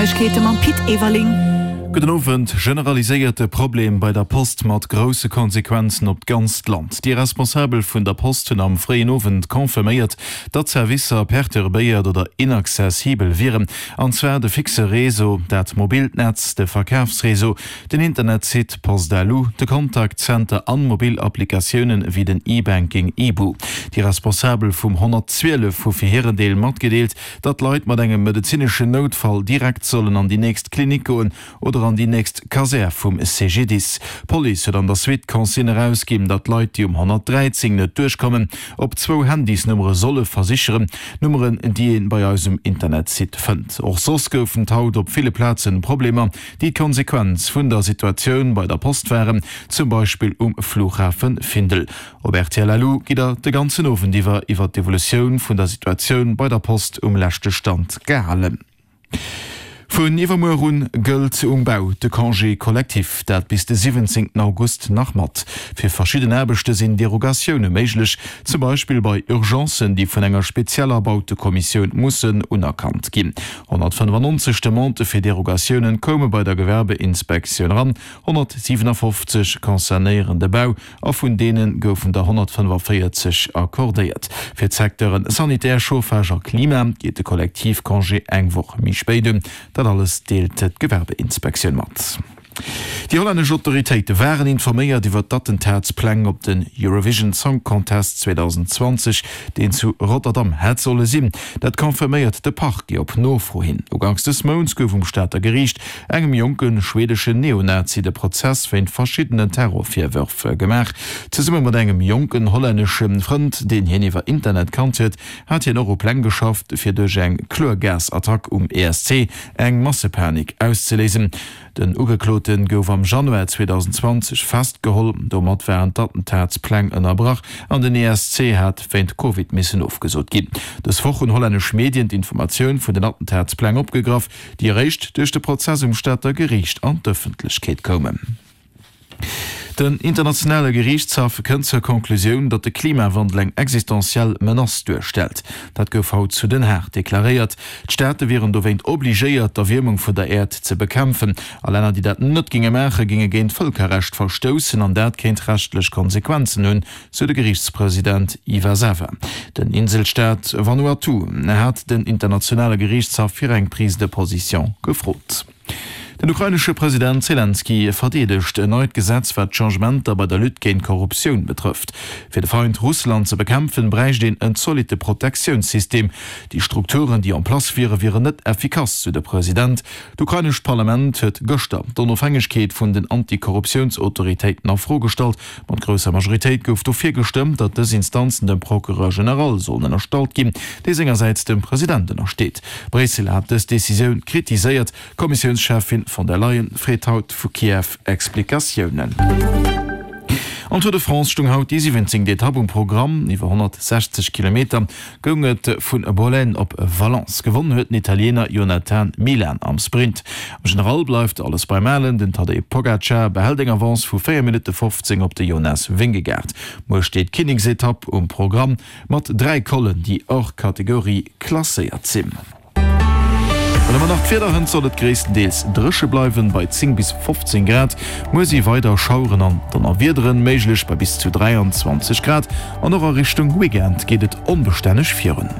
Neiegkeete mam Pit Everling. Gudden Owend. Generaliséierte Problem bei der Post mat grousse Konsequenzen op d'ganzt Land. Déi Responsabel vun der Post hunn am fréien Owend confirméiert, datt Servicer perturbéiert oder inaccessibel wieren. An zwar de fixe Réseau, dat mobilt Netz, de Verkafsréseau, den Internetsite Post.lu, de Contact Center an mobil Applikatiounen wéi den E-Banking Ibu. Déi Responsabel vum 112 hu fir hiren Deel matgedeelt, datt Leit mat engem medezineschen Noutfall direkt sollen an déi nächst Klinik goen oder an déi nächst Kasär vum CGDIS. D'Police huet an der Suite d'Consigne erausginn, datt Leit, déi um 113 net duerchkommen, op zwou Handysnummere solle versicheren, Nummeren, déi ee bei eis um Internetsite fënnt. Och soss goufen et haut op ville Plazen Problemer, déi d'Konsequenz vun der Situatioun bei der Post waren, zum Beispill um Flughafe Findel. Op rtl Lu gitt der de ganzen Owend iwwer iwwer d'Evolutioun vun der Situatioun bei der Post um leschte Stand gehalen. Vun iwwermuer un gëllt um Bau de Congé collectif, dat bis de 17 August nach mat. Fir verschidden Aarbechte sinn Derogatioune méiglech, zum Beispill bei Urgencen, déi vun enger spezieller Bautekommissioun mussen unerkannt ginn. 195 Demandë fir Derogatioune koume bei der Gewerbeinspektioun eran, 157 concernéieren de Bau a vun deene goufen der 145 accordéiert. Fir d'Secteuren Sanitär, Chauffage a Klima geet de Kollektivcongé eng Woch méi spéit un. Dat alles deelt d'Gewerbeinspektioun mat. Déi hollännesch Autoritéite waren informéiert iwwer d'Attentatspläng op den Eurovision Song Contest 2020, deen zu Rotterdam hätt solle sinn. Dat confirméiert de Parquet op Nofro hin. Uganks des Mounts gouf um Stater Geriicht engem jonke schweedeschen Neonazi de Prozess wéint verschiddenen Terrorvirwërf gemaach. Zesumme mat engem jonken hollännesche Frënd, deen hien iwwer Internet kannt huet, hat hien och u Pläng geschafft, fir duerch eng Chlorgasattack um ESC eng Massepanik auszeléisen. Den Ugeklote gouf am Januar 2020 festgeholl. Domat waren d'Attentatspläng ënnerbrach an den ESC hat wéint Covid missen ofgesot ginn. Dës Woch hunn hollännesch Medien d'Informatioun vun den Attentatspläng opgegraff, déi eréischt duerch de Prozess um Stater Geriicht an d'Ëffentlechkeet koumen. Den internationale Geriichtshaff kënnt zur Conclusioun, datt de Klimawandel eng existenziell Menace duerstellt. Dat gouf haut zu Den Haag deklaréiert. D'Staate wieren dowéint obligéiert, d'Erwiermung vun der Äerd ze bekämpfen. A Länner, déi dat net géinge maachen, géinge géint d'Vëlkerrecht verstoussen an dat kéint rechtlech Konsequenzen hunn, sou de Geriichtspresident Iwasawa. Den Inselstaat Vanuatu hat den internationale Geriichtshaff fir eng Prise de position gefrot. Den ukrainesche President Selenskyj verdeedegt en neit Gesetz, wat d'Changementer bei der Lutte géint d'Korruptioun betrëfft. Fir de Feind Russland ze bekämpfen, bräicht een en zolitte Protektiounssystem. Déi Strukturen, déi en place wieren, wieren net effikass, sou de President. D'ukrainescht Parlament huet gëschter d'Onofhängegkeet vun den Antikorruptiounsautoritéiten a Fro gestallt. Mat grousser Majoritéit gouf dofir gestëmmt, datt dës Instanzen dem Procureur général sollen ënnerstallt ginn, dee sengersäits dem President ënnersteet. Bréissel hat dës Decisioun kritiséiert. D'Kommissiounscheffin von der Leyen freet haut vu Kiew Explikatiounen. Am Tour de France stoung haut déi 17. Etapp um Programm. Iwwer 160 Kilometer goung et vu Bollène op Valence. Gewonnen huet den Italiener Jonathan Milan am Sprint. Am General bleift alles beim Alen, den Tadej Pogacar behält eng Avance vu 4 Minutte 15 op de Jonas Vingegaard. Muer steet d'Kinneksetapp um Programm mat 3 Collen, déi hors Catégorie klasséiert sinn. Dann hu mer nach d'Wieder, Hënt soll et gréisstendeels dréche bleiwen, bei 10 bis 15 Grad. Muer si weider Schaueren an Donnerwiederen méiglech, bei bis zu 23 Grad. An och a Richtung Weekend geet et onbestänneg virun.